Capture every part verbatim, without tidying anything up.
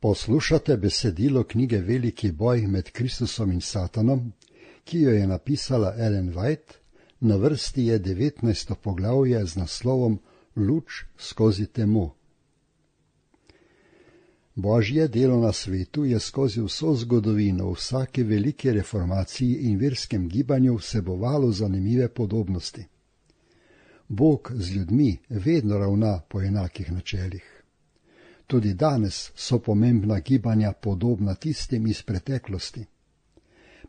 Poslušate besedilo knjige Veliki boj med Kristusom in Satanom, ki jo je napisala Ellen White, na vrsti je devetnajsto poglavje z naslovom Luč skozi temo. Božje delo na svetu je skozi vso zgodovino v vsaki veliki reformaciji in verskem gibanju vsebovalo zanimive podobnosti. Bog z ljudmi vedno ravna po enakih načelih. Tudi danes so pomembna gibanja podobna tistim iz preteklosti.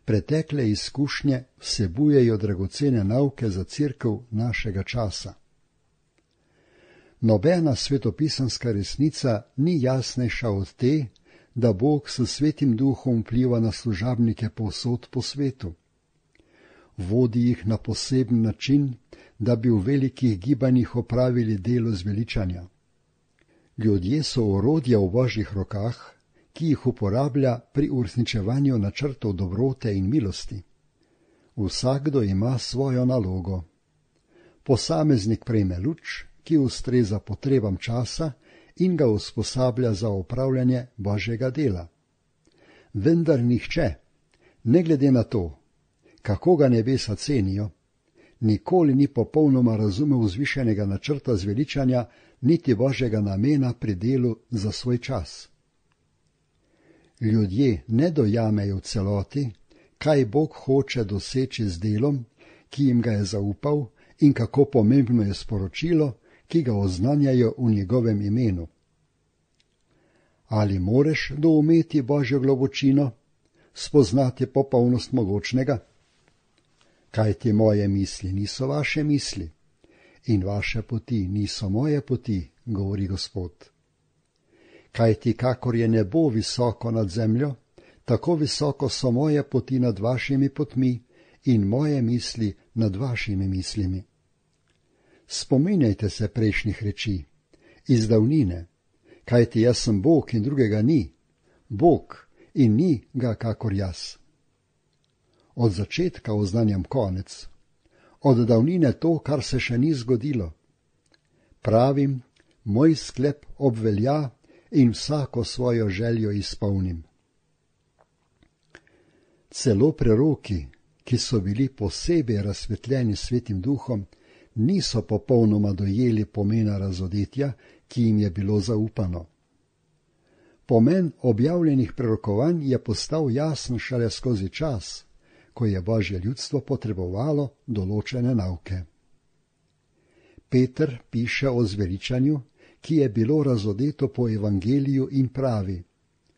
Pretekle izkušnje vsebujejo dragocene nauke za cerkev našega časa. Nobena svetopisanska resnica ni jasnejša od te, da Bog s Svetim Duhom vpliva na služabnike povsod po svetu. Vodi jih na poseben način, da bi v velikih gibanjih opravili delo zveličanja. Ljudje so orodja v Božjih rokah, ki jih uporablja pri uresničevanju načrtov dobrote in milosti. Vsakdo ima svojo nalogo. Posameznik prejme luč, ki ustreza potrebam časa in ga usposablja za opravljanje Božjega dela. Vendar nihče, ne glede na to, kako ga nebesa cenijo, nikoli ni popolnoma razumel vzvišenega načrta zveličanja niti Božjega namena pri delu za svoj čas. Ljudje ne dojamejo v celoti, kaj Bog hoče doseči z delom, ki jim ga je zaupal, in kako pomembno je sporočilo, ki ga oznanjajo v njegovem imenu. Ali moreš doumeti Božjo globočino, spoznati popolnost mogočnega? Kajti moje misli niso vaše misli in vaše poti niso moje poti, govori Gospod. Kajti kakor je nebo visoko nad zemljo, tako visoko so moje poti nad vašimi potmi in moje misli nad vašimi mislimi. Spominjajte se prejšnjih reči, iz davnine, kajti jaz sem Bog in drugega ni, Bog in ni ga kakor jaz. Od začetka oznanjam konec, od davnine to, kar se še ni zgodilo. Pravim, moj sklep obvelja in vsako svojo željo izpolnim. Celo preroki, ki so bili posebej razsvetljeni Svetim Duhom, niso popolnoma dojeli pomena razodetja, ki jim je bilo zaupano. Pomen objavljenih prerokovanj je postal jasen šele skozi čas, ko je Božje ljudstvo potrebovalo določene nauke. Peter piše o zveličanju, ki je bilo razodeto po evangeliju in pravi: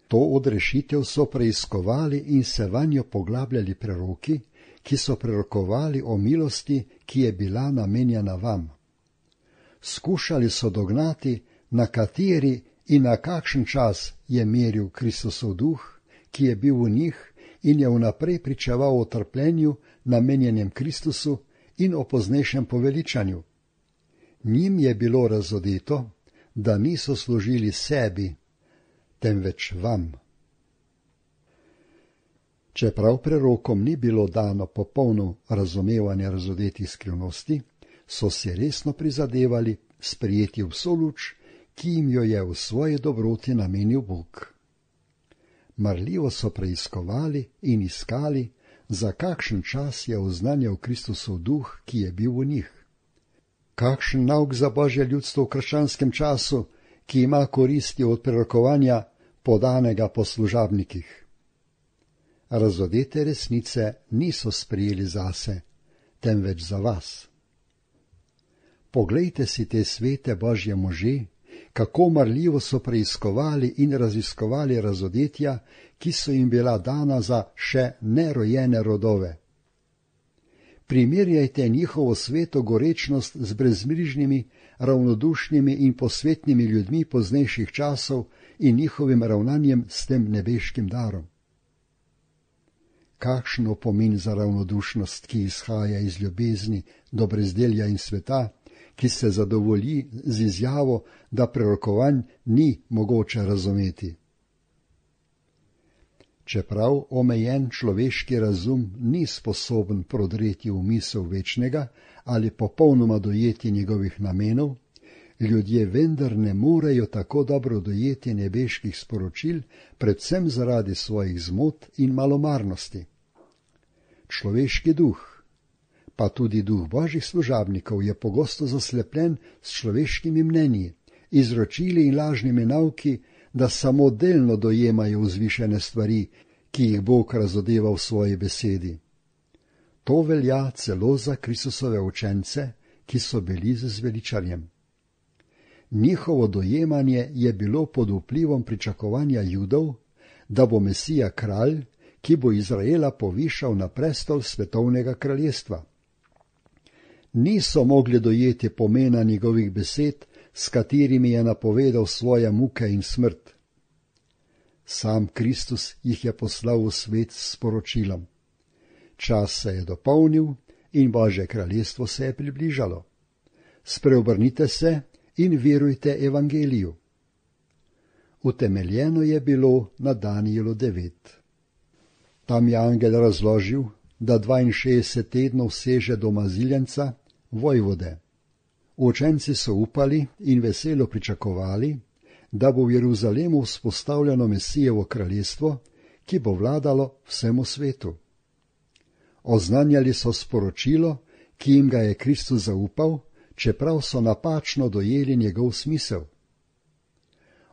to odrešitev so preiskovali in se vanjo poglabljali preroki, ki so prerokovali o milosti, ki je bila namenjena vam. Skušali so dognati, na kateri in na kakšen čas je meril Kristusov duh, ki je bil v njih in je vnaprej pričeval o trpljenju, namenjenem Kristusu, in o poznejšem poveličanju. Njim je bilo razodeto, da niso služili sebi, temveč vam. Čeprav prerokom ni bilo dano popolno razumevanje razodetih skrivnosti, so si resno prizadevali sprejeti vso luč, ki jim jo je v svoji dobroti namenil Bog. Marljivo so preiskovali in iskali, za kakšen čas je oznanjal Kristusov duh, ki je bil v njih. Kakšen nauk za Božje ljudstvo v krščanskem času, ki ima koristi od prerokovanja podanega po služabnikih. Razodete resnice niso sprejeli zase, temveč za vas. Poglejte si te svete Božje može, kako marljivo so preiskovali in raziskovali razodetja, ki so jim bila dana za še nerojene rodove. Primerjajte njihovo sveto gorečnost z brezmrižnimi, ravnodušnimi in posvetnimi ljudmi poznejših časov in njihovim ravnanjem s tem nebeškim darom. Kakšen opomin za ravnodušnost, ki izhaja iz ljubezni do brezdelja in sveta, ki se zadovolji z izjavo, da prerokovanj ni mogoče razumeti. Čeprav omejen človeški razum ni sposoben prodreti v misel večnega ali popolnoma dojeti njegovih namenov, ljudje vendar ne morejo tako dobro dojeti nebeških sporočil, predvsem zaradi svojih zmot in malomarnosti. Človeški duh, pa tudi duh božjih služabnikov, je pogosto zaslepljen s človeškimi mnenji, izročili in lažnimi nauki, da samo delno dojemajo vzvišene stvari, ki jih Bog razodeva v svoji besedi. To velja celo za Kristusove učence, ki so bili z zveličarjem. Njihovo dojemanje je bilo pod vplivom pričakovanja Judov, da bo Mesija kralj, ki bo Izraela povišal na prestol svetovnega kraljestva. Niso mogli dojeti pomena njegovih besed, s katerimi je napovedal svoje muke in smrt. Sam Kristus jih je poslal v svet s sporočilom. Čas se je dopolnil in Božje kraljestvo se je približalo. Spreobrnite se in verujte evangeliju. Utemeljeno je bilo na Danijelu devet. Tam je angel razložil, da dvainšestdeset tednov seže do maziljenca, vojvode. Učenci so upali in veselo pričakovali, da bo v Jeruzalemu vzpostavljeno Mesijevo kraljestvo, ki bo vladalo vsemu svetu. Oznanjali so sporočilo, ki jim ga je Kristus zaupal, čeprav so napačno dojeli njegov smisel.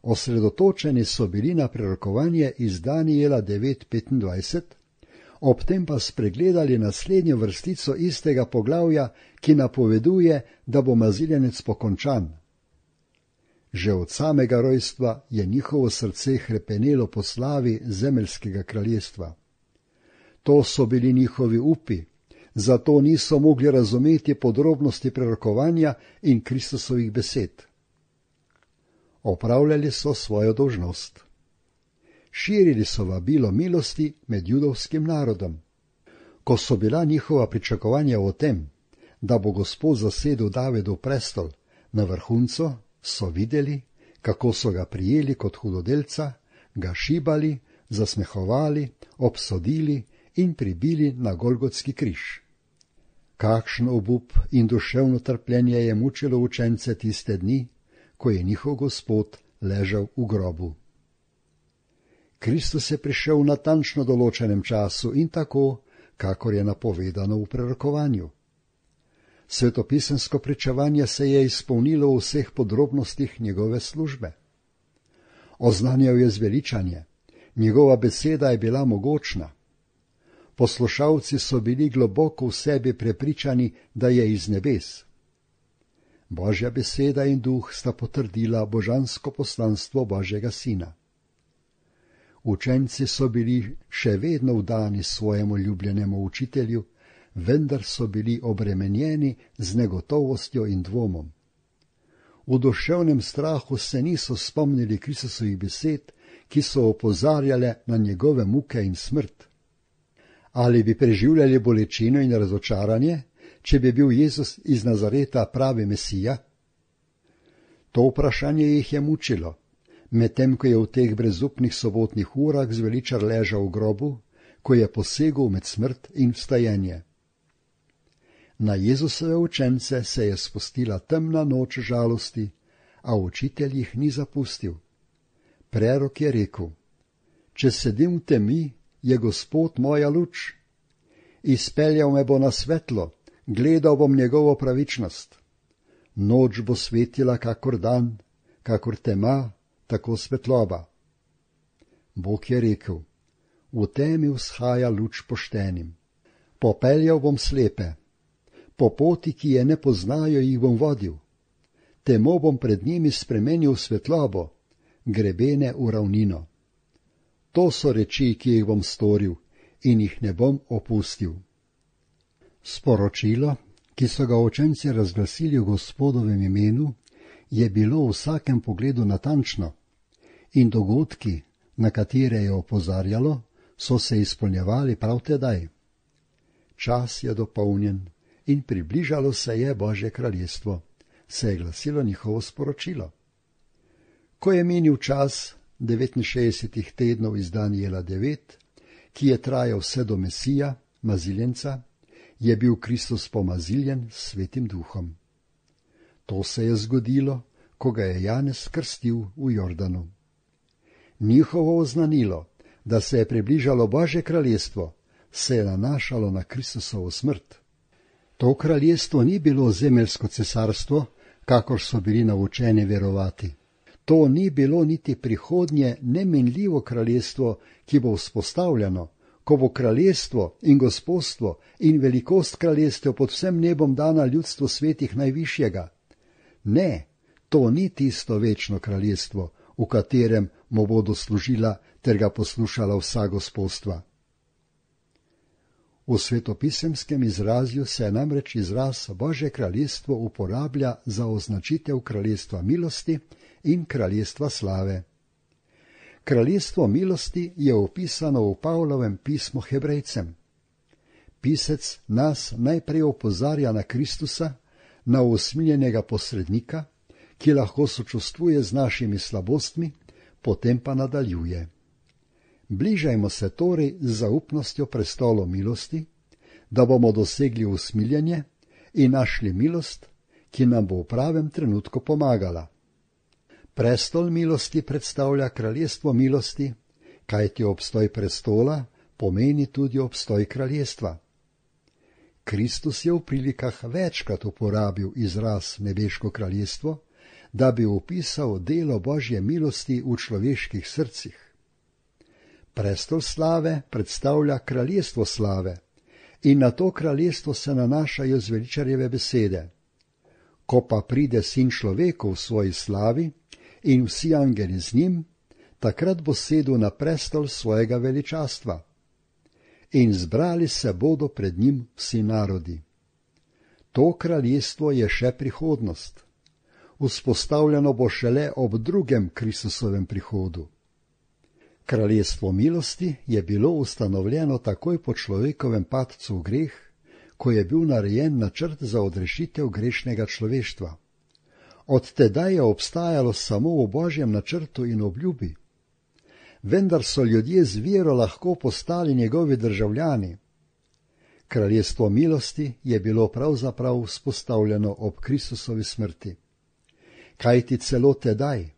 Osredotočeni so bili na prerokovanje iz Danijela devet petindvajset, ob tem pa spregledali naslednjo vrstico istega poglavja, ki napoveduje, da bo maziljenec pokončan. Že od samega rojstva je njihovo srce hrepenelo po slavi zemeljskega kraljestva. To so bili njihovi upi, zato niso mogli razumeti podrobnosti prerokovanja in Kristusovih besed. Opravljali so svojo dolžnost. Širili so vabilo milosti med judovskim narodom. Ko so bila njihova pričakovanja o tem, da bo Gospod zasedel Davidov prestol, na vrhuncu so videli, kako so ga prijeli kot hudodelca, ga šibali, zasmehovali, obsodili in pribili na Golgotski križ. Kakšen obup in duševno trpljenje je mučilo učence tiste dni, ko je njihov Gospod ležal v grobu. Kristus je prišel v natančno določenem času in tako, kakor je napovedano v prerokovanju. Svetopisemsko pričevanje se je izpolnilo v vseh podrobnostih njegove službe. Oznanjal je zveličanje, njegova beseda je bila mogočna. Poslušalci so bili globoko v sebi prepričani, da je iz nebes. Božja beseda in duh sta potrdila božansko poslanstvo Božjega sina. Učenci so bili še vedno vdani svojemu ljubljenemu učitelju, vendar so bili obremenjeni z negotovostjo in dvomom. V duševnem strahu se niso spomnili Kristusovih besed, ki so opozarjale na njegove muke in smrt. Ali bi preživljali bolečino in razočaranje, če bi bil Jezus iz Nazareta pravi Mesija? To vprašanje jih je mučilo, medtem ko je v teh brezupnih sobotnih urah zveličar ležal v grobu, ko je posegel med smrt in vstajenje. Na Jezusove učence se je spustila temna noč žalosti, a učitelj jih ni zapustil. Prerok je rekel: če sedim v temi, je Gospod moja luč. Izpeljal me bo na svetlo, gledal bom njegovo pravičnost. Noč bo svetila kakor dan, kakor tema, tako svetloba. Bog je rekel: v temi vzhaja luč poštenim. Popeljal bom slepe, po poti, ki je ne poznajo, jih bom vodil. Temo bom pred njimi spremenil svetlobo, grebene v ravnino. To so reči, ki jih bom storil in jih ne bom opustil. Sporočilo, ki so ga učenci razglasili v Gospodovem imenu, je bilo v vsakem pogledu natančno in dogodki, na katere je opozarjalo, so se izpolnjevali prav tedaj. Čas je dopolnjen in približalo se je Božje kraljestvo, se je glasilo njihovo sporočilo. Ko je minil čas devetinšestdesetih tednov iz Danijela devet, ki je trajal vse do Mesija, maziljenca, je bil Kristus pomaziljen s Svetim duhom. To se je zgodilo, ko ga je Janez krstil v Jordanu. Njihovo oznanilo, da se je približalo Božje kraljestvo, se je nanašalo na Kristusovo smrt. To kraljestvo ni bilo zemeljsko cesarstvo, kakor so bili naučeni verovati. To ni bilo niti prihodnje nemenljivo kraljestvo, ki bo vzpostavljeno, ko bo kraljestvo in gospodstvo in velikost kraljestev pod vsem nebom dana ljudstvu svetih najvišjega. Ne, to ni tisto večno kraljestvo, v katerem mu bodo služila ter ga poslušala vsa gospodstva. V svetopisemskem izrazju se namreč izraz Božje kraljestvo uporablja za označitev kraljestva milosti in kraljestva slave. Kraljestvo milosti je opisano v Pavlovem pismu Hebrejcem. Pisec nas najprej opozarja na Kristusa, na usmiljenega posrednika, ki lahko sočustvuje z našimi slabostmi, potem pa nadaljuje. Bližajmo se torej z zaupnostjo prestolu milosti, da bomo dosegli usmiljenje in našli milost, ki nam bo v pravem trenutku pomagala. Prestol milosti predstavlja kraljestvo milosti, kajti obstoj prestola pomeni tudi obstoj kraljestva. Kristus je v prilikah večkrat uporabil izraz nebeško kraljestvo, da bi opisal delo Božje milosti v človeških srcih. Prestol slave predstavlja kraljestvo slave in na to kraljestvo se nanašajo zveličarjeve besede. Ko pa pride sin človeku v svoji slavi in vsi angeli z njim, takrat bo sedel na prestol svojega veličastva. In zbrali se bodo pred njim vsi narodi. To kraljestvo je še prihodnost. Vzpostavljeno bo šele ob drugem Kristusovem prihodu. Kraljestvo milosti je bilo ustanovljeno takoj po človekovem padcu v greh, ko je bil narejen načrt za odrešitev grešnega človeštva. Od tedaj je obstajalo samo v Božjem načrtu in obljubi. Vendar so ljudje z vero lahko postali njegovi državljani. Kraljestvo milosti je bilo pravzaprav vzpostavljeno ob Kristusovi smrti. Kajti celo tedaj,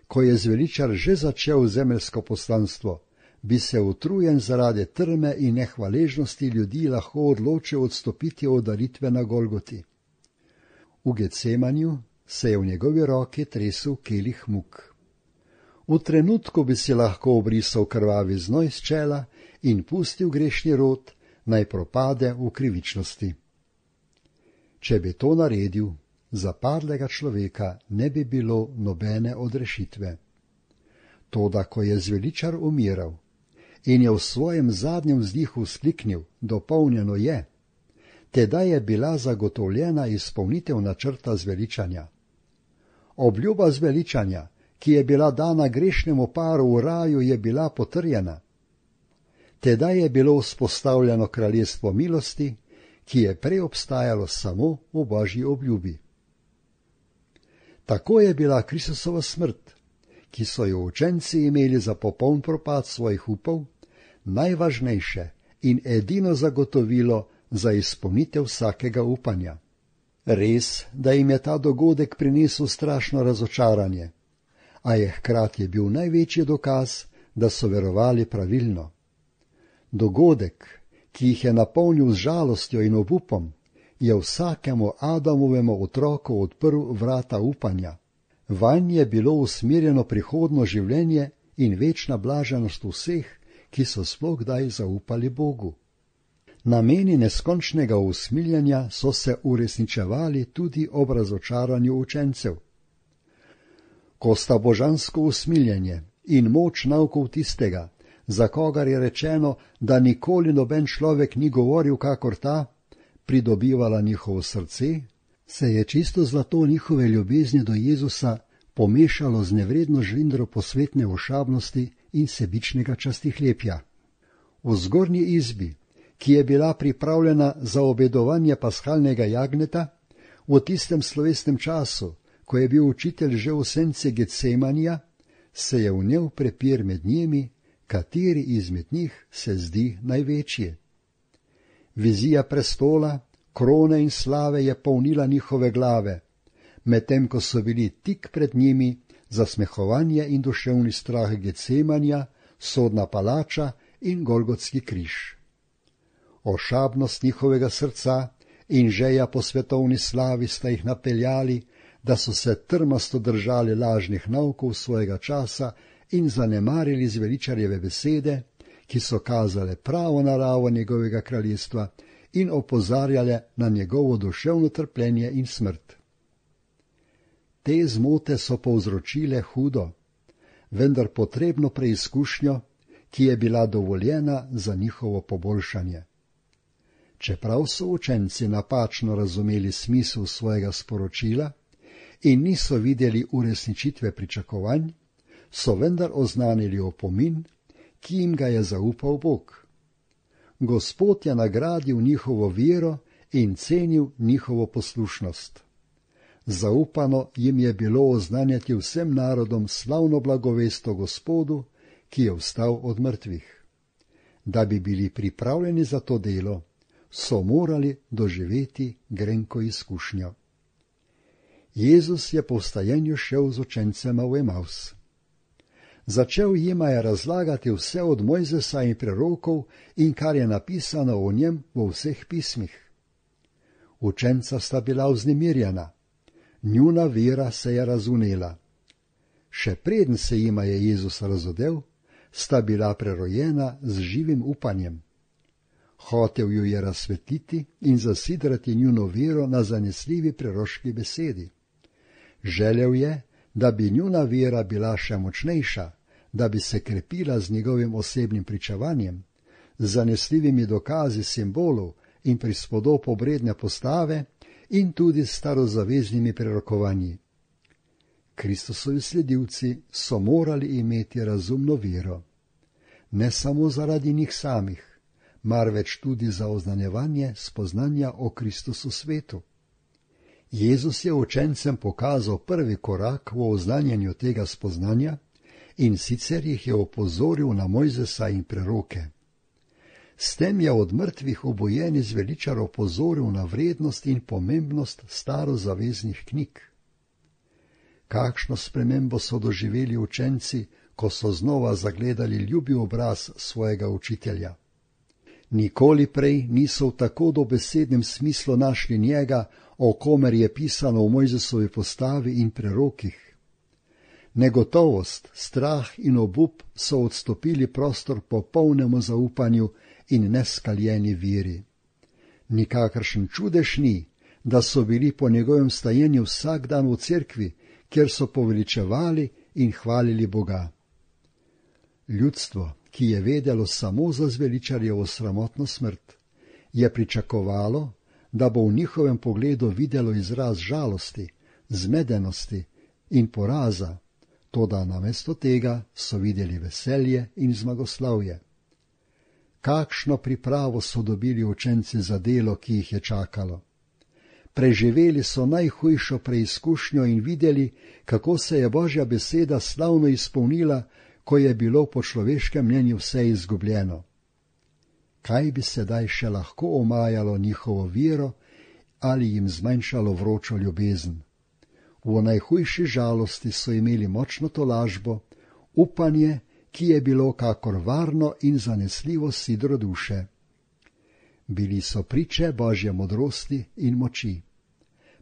ko je zveličar že začel zemeljsko poslanstvo, bi se utrujen zaradi trme in nehvaležnosti ljudi lahko odločil odstopiti od daritve na Golgoti. V Getsemanju se je v njegovi roki tresel kelih muk. V trenutku bi si lahko obrisal krvavi znoj s čela in pustil grešni rod, naj propade v krivičnosti. Če bi to naredil, za padlega človeka ne bi bilo nobene odrešitve. Toda, ko je zveličar umiral in je v svojem zadnjem vzdihu vzkliknil, dopolnjeno je, tedaj je bila zagotovljena izpolnitev načrta zveličanja. Obljuba zveličanja, ki je bila dana grešnemu paru v raju, je bila potrjena. Tedaj je bilo vzpostavljeno kraljestvo milosti, ki je prej obstajalo samo v Božji obljubi. Tako je bila Kristusova smrt, ki so jo učenci imeli za popoln propad svojih upov, najvažnejše in edino zagotovilo za izpolnitev vsakega upanja. Res, da jim je ta dogodek prinesel strašno razočaranje, a je hkrati bil največji dokaz, da so verovali pravilno. Dogodek, ki jih je napolnil z žalostjo in obupom, je vsakemu Adamovemu otroku odprl vrata upanja. Vanj je bilo usmerjeno prihodno življenje in večna blaženost vseh, ki so sploh kdaj zaupali Bogu. Nameni neskončnega usmiljanja so se uresničevali tudi ob razočaranju učencev. Ko sta božansko usmiljenje in moč naukov tistega, za kogar je rečeno, da nikoli noben človek ni govoril kakor ta, pridobivala njihovo srce, se je čisto zlato njihove ljubezni do Jezusa pomešalo z nevredno žlindro posvetne ošabnosti in sebičnega častihlepja. V zgornji izbi, ki je bila pripravljena za obedovanje paskalnega jagneta, v tistem slovesnem času, ko je bil učitelj že v senci Getsemanija, se je vnel prepir med njimi, kateri izmed njih se zdi največji. Vizija prestola, krone in slave je polnila njihove glave, medtem ko so bili tik pred njimi zasmehovanje in duševni strah Gecemanja, sodna palača in Golgotski križ. Ošabnost njihovega srca in želja po svetovni slavi sta jih napeljali, da so se trmasto držali lažnih naukov svojega časa in zanemarili zveličarjeve besede, ki so kazale pravo naravo njegovega kraljestva in opozarjale na njegovo duševno trpljenje in smrt. Te zmote so povzročile hudo, vendar potrebno preizkušnjo, ki je bila dovoljena za njihovo poboljšanje. Čeprav so učenci napačno razumeli smisel svojega sporočila in niso videli uresničitve pričakovanj, so vendar oznanili opomin, ki jim ga je zaupal Bog. Gospod je nagradil njihovo vero in cenil njihovo poslušnost. Zaupano jim je bilo oznanjati vsem narodom slavno blagovest o Gospodu, ki je vstal od mrtvih. Da bi bili pripravljeni za to delo, so morali doživeti grenko izkušnjo. Jezus je po vstajenju šel z učencema v Emaus. Začel jima je razlagati vse od Mojzesa in prerokov in kar je napisano o njem v vseh pismih. Učenca sta bila vznemirjena, njuna vera se je razvnela. Še preden se jima je Jezus razodel, sta bila prerojena z živim upanjem. Hotel ju je razsvetliti in zasidrati njuno vero na zanesljivi preroški besedi. Želel je, da bi njuna vera bila še močnejša, da bi se krepila z njegovim osebnim pričevanjem, z zanesljivimi dokazi simbolov in prispodob obredne postave in tudi s starozaveznimi prerokovanji. Kristusovi sledilci so morali imeti razumno vero, ne samo zaradi njih samih, marveč tudi za oznanjevanje spoznanja o Kristusu svetu. Jezus je učencem pokazal prvi korak v oznanjanju tega spoznanja in sicer jih je opozoril na Mojzesa in preroke. S tem je od mrtvih obojeni zveličar opozoril na vrednost in pomembnost starozaveznih knjig. Kakšno spremembo so doživeli učenci, ko so znova zagledali ljubi obraz svojega učitelja. Nikoli prej niso v tako dobesednem smislu našli njega, o komer je pisano v Mojzesovi postavi in prerokih. Negotovost, strah in obup so odstopili prostor popolnemu zaupanju in neskaljeni veri. Nikakršen čudež ni, da so bili po njegovem stajenju vsak dan v cerkvi, kjer so poveličevali in hvalili Boga. Ljudstvo, ki je vedelo samo za zveličarjevo sramotno smrt, je pričakovalo, da bo v njihovem pogledu videlo izraz žalosti, zmedenosti in poraza, toda namesto tega so videli veselje in zmagoslavje. Kakšno pripravo so dobili učenci za delo, ki jih je čakalo. Preživeli so najhujšo preizkušnjo in videli, kako se je Božja beseda slavno izpolnila, ko je bilo po človeškem mnenju vse izgubljeno. Kaj bi sedaj še lahko omajalo njihovo vero ali jim zmanjšalo vročo ljubezen? V najhujši žalosti so imeli močno tolažbo, upanje, ki je bilo kakor varno in zanesljivo sidro duše. Bili so priče Božje modrosti in moči.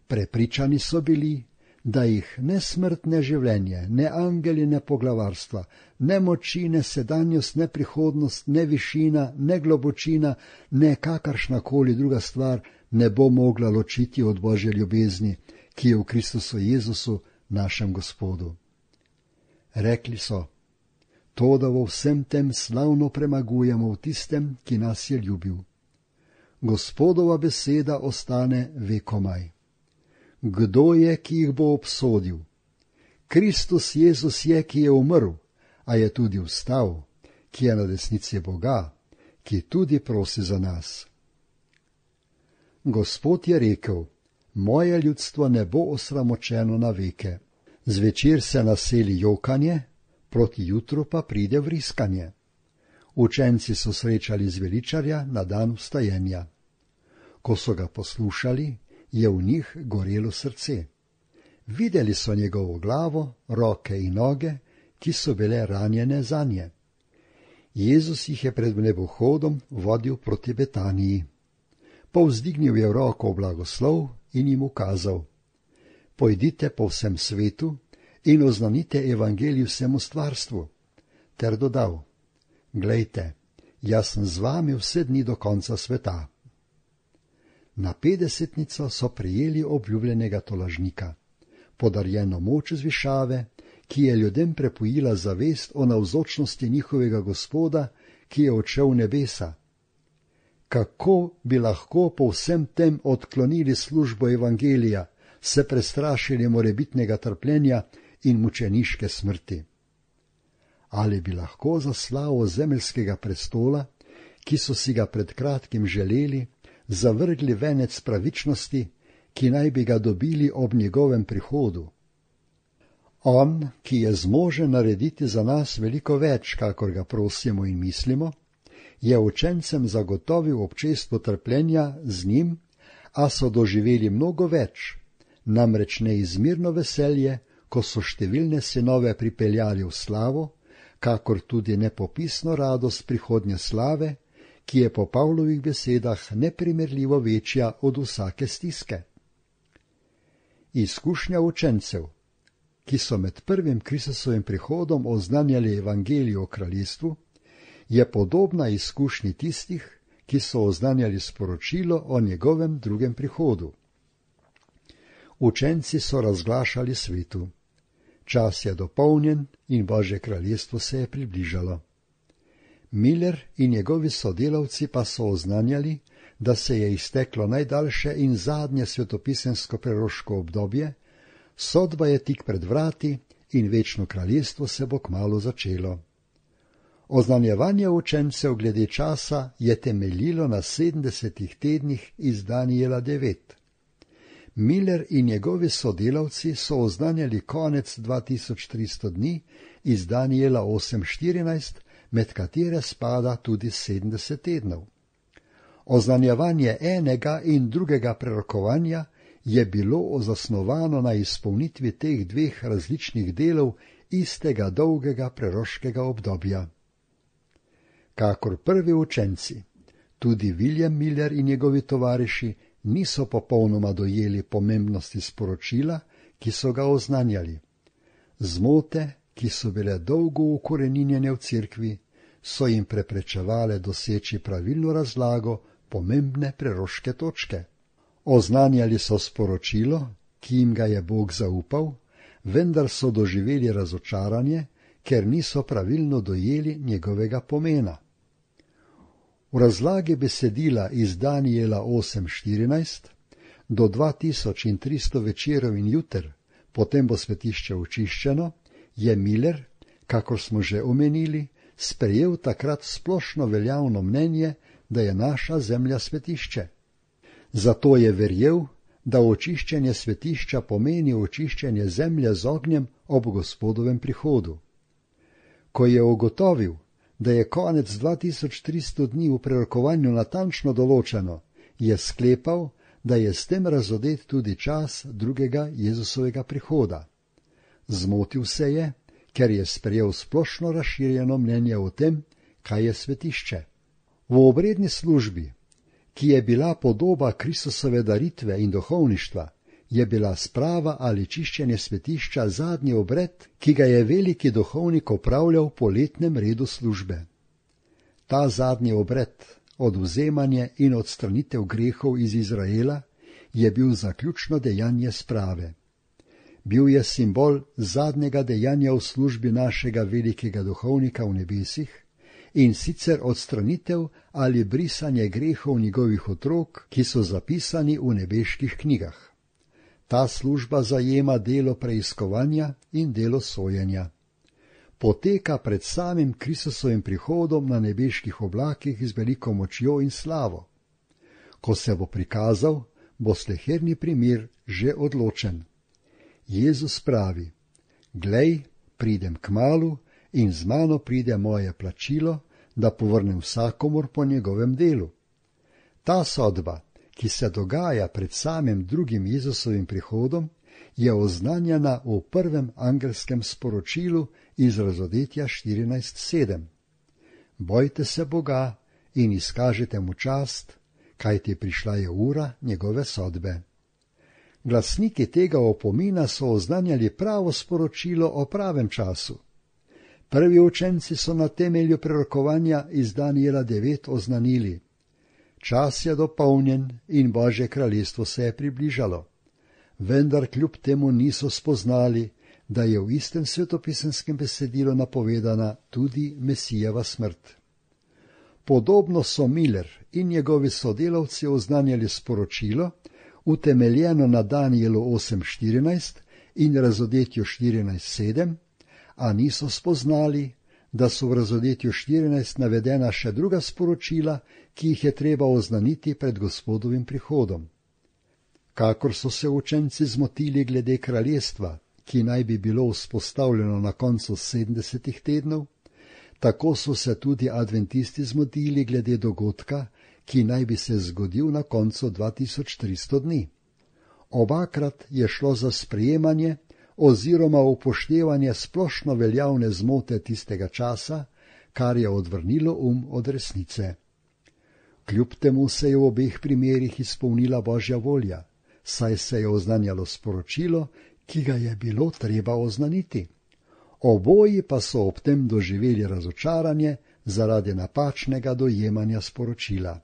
Prepričani so bili, da jih ne smrt, ne življenje, ne angeli, ne poglavarstva, ne moči, ne sedanjost, ne prihodnost, ne višina, ne globočina, ne kakršnakoli druga stvar ne bo mogla ločiti od Božje ljubezni, ki je v Kristusu Jezusu, našem Gospodu. Rekli so, to, da v vsem tem slavno premagujemo v tistem, ki nas je ljubil. Gospodova beseda ostane vekomaj. Kdo je, ki jih bo obsodil? Kristus Jezus je, ki je umrl, a je tudi vstal, ki je na desnici Boga, ki tudi prosi za nas. Gospod je rekel, moje ljudstvo ne bo osramočeno na veke. Zvečer se naseli jokanje, proti jutru pa pride vriskanje. Učenci so srečali zveličarja na dan vstajenja. Ko so ga poslušali, je v njih gorelo srce. Videli so njegovo glavo, roke in noge, ki so bile ranjene zanje. Jezus jih je pred nebohodom vodil proti Betaniji. Povzdignil je roko v blagoslov in jim ukazal: Pojdite po vsem svetu in oznanite evangelij vsemu stvarstvu, ter dodal: Glejte, jaz sem z vami vse dni do konca sveta. Na petdesetnico so prijeli obljubljenega tolažnika, podarjeno moč z višave, ki je ljudem prepojila zavest o navzočnosti njihovega Gospoda, ki je odšel v nebesa. Kako bi lahko po vsem tem odklonili službo evangelija, se prestrašili morebitnega trpljenja in mučeniške smrti? Ali bi lahko za slavo zemeljskega prestola, ki so si ga pred kratkim želeli, zavrgli venec pravičnosti, ki naj bi ga dobili ob njegovem prihodu? On, ki je zmožen narediti za nas veliko več, kakor ga prosimo in mislimo, je učencem zagotovil občestvo trpljenja z njim, a so doživeli mnogo več, namreč neizmirno veselje, ko so številne sinove pripeljali v slavo, kakor tudi nepopisno radost prihodnje slave, ki je po Pavlovih besedah neprimerljivo večja od vsake stiske. Izkušnja učencev, ki so med prvim Kristusovim prihodom oznanjali evangelij o kraljestvu, je podobna izkušnji tistih, ki so oznanjali sporočilo o njegovem drugem prihodu. Učenci so razglašali svetu: Čas je dopolnjen in Božje kraljestvo se je približalo. Miller in njegovi sodelavci pa so oznanjali, da se je izteklo najdaljše in zadnje svetopisemsko preroško obdobje, sodba je tik pred vrati in večno kraljestvo se bo kmalu začelo. Oznanjevanje učencev glede časa je temeljilo na sedemdesetih tednih iz Danijela devet. Miller in njegovi sodelavci so oznanjali konec dva tisoč tristo dni iz Danijela osem štirinajst, med katere spada tudi sedemdeset tednov. Oznanjevanje enega in drugega prerokovanja je bilo zasnovano na izpolnitvi teh dveh različnih delov istega dolgega preroškega obdobja. Kakor prvi učenci, tudi William Miller in njegovi tovariši niso popolnoma dojeli pomembnosti sporočila, ki so ga oznanjali. Zmote, ki so bile dolgo ukoreninjene v cerkvi, so jim preprečevale doseči pravilno razlago pomembne preroške točke. Oznanjali so sporočilo, ki jim ga je Bog zaupal, vendar so doživeli razočaranje, ker niso pravilno dojeli njegovega pomena. V razlagi besedila iz Danijela osem štirinajst do dva tisoč tristo večerov in juter, potem bo svetišče očiščeno, je Miller, kakor smo že omenili, sprejel takrat splošno veljavno mnenje, da je naša zemlja svetišče. Zato je verjel, da očiščenje svetišča pomeni očiščenje zemlje z ognjem ob Gospodovem prihodu. Ko je ugotovil, da je konec dva tisoč tristo dni v prerokovanju natančno določeno, je sklepal, da je s tem razodet tudi čas drugega Jezusovega prihoda. Zmotil se je, ker je sprejel splošno razširjeno mnenje o tem, kaj je svetišče. V obredni službi, ki je bila podoba Kristusove daritve in duhovništva, je bila sprava ali čiščenje svetišča zadnji obred, ki ga je veliki duhovnik opravljal po letnem redu službe. Ta zadnji obred, odvzemanje in odstranitev grehov iz Izraela, je bil zaključno dejanje sprave. Bil je simbol zadnjega dejanja v službi našega velikega duhovnika v nebesih, in sicer odstranitev ali brisanje grehov njegovih otrok, ki so zapisani v nebeških knjigah. Ta služba zajema delo preiskovanja in delo sojenja. Poteka pred samim Kristusovim prihodom na nebeških oblakih z veliko močjo in slavo. Ko se bo prikazal, bo sleherni primir že odločen. Jezus pravi: Glej, pridem kmalu in z mano pride moje plačilo, da povrnem vsakomur po njegovem delu. Ta sodba, ki se dogaja pred samim drugim Jezusovim prihodom, je oznanjena v prvem angelskem sporočilu iz Razodetja štirinajst sedem. Bojte se Boga in izkažite mu čast, kajti prišla je ura njegove sodbe. Glasniki tega opomina so oznanjali pravo sporočilo o pravem času. Prvi učenci so na temelju prerokovanja iz Danijela devet oznanili: čas je dopolnjen in Božje kraljestvo se je približalo. Vendar kljub temu niso spoznali, da je v istem svetopisenskem besedilu napovedana tudi Mesijeva smrt. Podobno so Miller in njegovi sodelavci oznanjali sporočilo, utemeljeno na Danijelu osem štirinajst in Razodetju štirinajst sedem, a niso spoznali, da so v Razodetju štirinajst navedena še druga sporočila, ki jih je treba oznaniti pred Gospodovim prihodom. Kakor so se učenci zmotili glede kraljestva, ki naj bi bilo vzpostavljeno na koncu sedemdesetih tednov, tako so se tudi adventisti zmotili glede dogodka, ki naj bi se zgodil na koncu dva tisoč tristo dni. Obakrat je šlo za sprejemanje oziroma upoštevanje splošno veljavne zmote tistega časa, kar je odvrnilo um od resnice. Kljub temu se je v obeh primerih izpolnila Božja volja, saj se je oznanjalo sporočilo, ki ga je bilo treba oznaniti. Oboji pa so ob tem doživeli razočaranje zaradi napačnega dojemanja sporočila.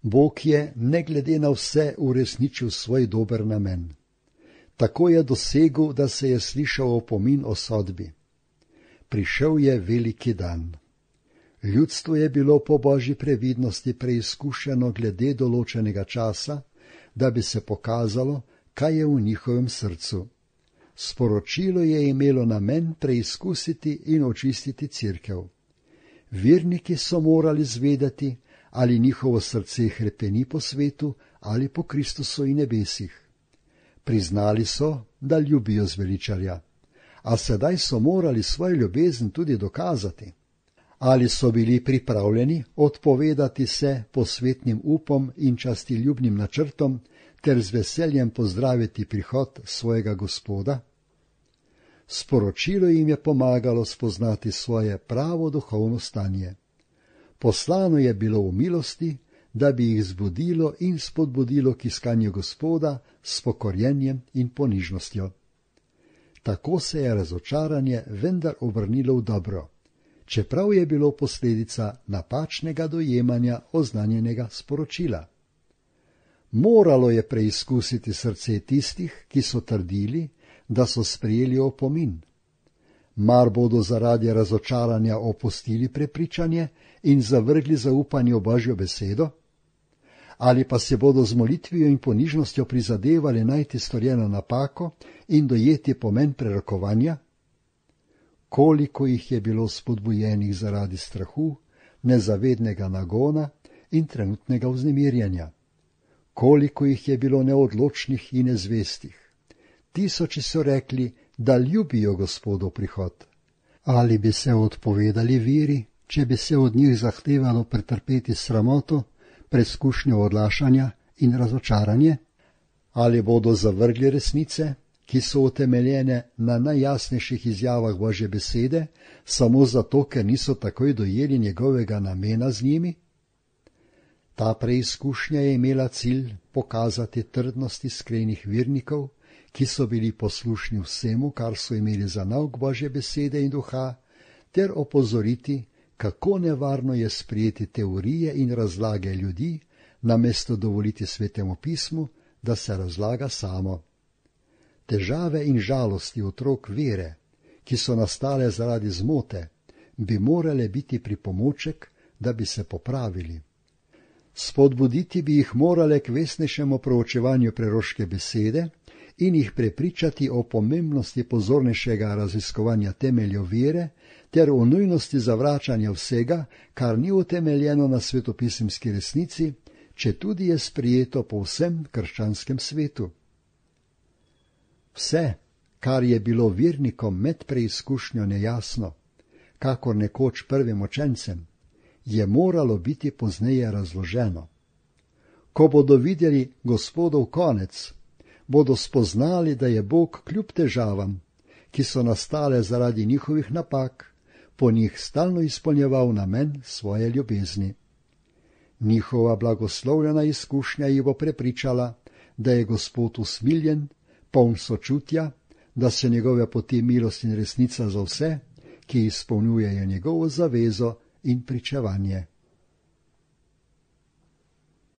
Bog je, ne glede na vse, uresničil svoj dober namen. Tako je dosegel, da se je slišal opomin o sodbi. Prišel je veliki dan. Ljudstvo je bilo po Božji previdnosti preizkušeno glede določenega časa, da bi se pokazalo, kaj je v njihovem srcu. Sporočilo je imelo namen preizkusiti in očistiti cerkev. Verniki so morali zvedeti, ali njihovo srce hrepeni po svetu ali po Kristusu in nebesih. Priznali so, da ljubijo zveličarja, a sedaj so morali svojo ljubezen tudi dokazati. Ali so bili pripravljeni odpovedati se posvetnim upom in častiljubnim načrtom ter z veseljem pozdraviti prihod svojega Gospoda? Sporočilo jim je pomagalo spoznati svoje pravo duhovno stanje. Poslano je bilo v milosti, da bi jih zbudilo in spodbudilo k iskanju Gospoda s pokorjenjem in ponižnostjo. Tako se je razočaranje vendar obrnilo v dobro, čeprav je bilo posledica napačnega dojemanja oznanjenega sporočila. Moralo je preizkusiti srce tistih, ki so trdili, da so sprejeli opomin. Mar bodo zaradi razočaranja opustili prepričanje in zavrgli zaupanje v Božjo besedo? Ali pa se bodo z molitvijo in ponižnostjo prizadevali najti storjeno napako in dojeti pomen prerokovanja? Koliko jih je bilo spodbujenih zaradi strahu, nezavednega nagona in trenutnega vznemirjanja? Koliko jih je bilo neodločnih in nezvestih? Tisoči so rekli, da ljubijo Gospodov prihod. Ali bi se odpovedali veri, če bi se od njih zahtevalo pretrpeti sramoto, preskušnjo odlašanja in razočaranje? Ali bodo zavrgli resnice, ki so utemeljene na najjasnejših izjavah Božje besede, samo zato, ker niso takoj dojeli njegovega namena z njimi? Ta preizkušnja je imela cilj pokazati trdnost iskrenih vernikov, ki so bili poslušni vsemu, kar so imeli za nauk Božje besede in duha, ter opozoriti, kako nevarno je sprejeti teorije in razlage ljudi, namesto dovoliti Svetemu pismu, da se razlaga samo. Težave in žalosti otrok vere, ki so nastale zaradi zmote, bi morale biti pripomoček, da bi se popravili. Spodbuditi bi jih morale k vesnejšemu proučevanju preroške besede in jih prepričati o pomembnosti pozornejšega raziskovanja temeljev vere ter o nujnosti zavračanja vsega, kar ni utemeljeno na svetopisemski resnici, četudi je sprijeto po vsem krščanskem svetu. Vse, kar je bilo vernikom med preizkušnjo nejasno, kakor nekoč prvim učencem, je moralo biti pozneje razloženo. Ko bodo videli Gospodov konec, bodo spoznali, da je Bog kljub težavam, ki so nastale zaradi njihovih napak, po njih stalno izpolnjeval namen svoje ljubezni. Njihova blagoslovljena izkušnja jih bo prepričala, da je Gospod usmiljen, poln sočutja, da so njegove poti milost in resnica za vse, ki izpolnjujejo njegovo zavezo in pričevanje.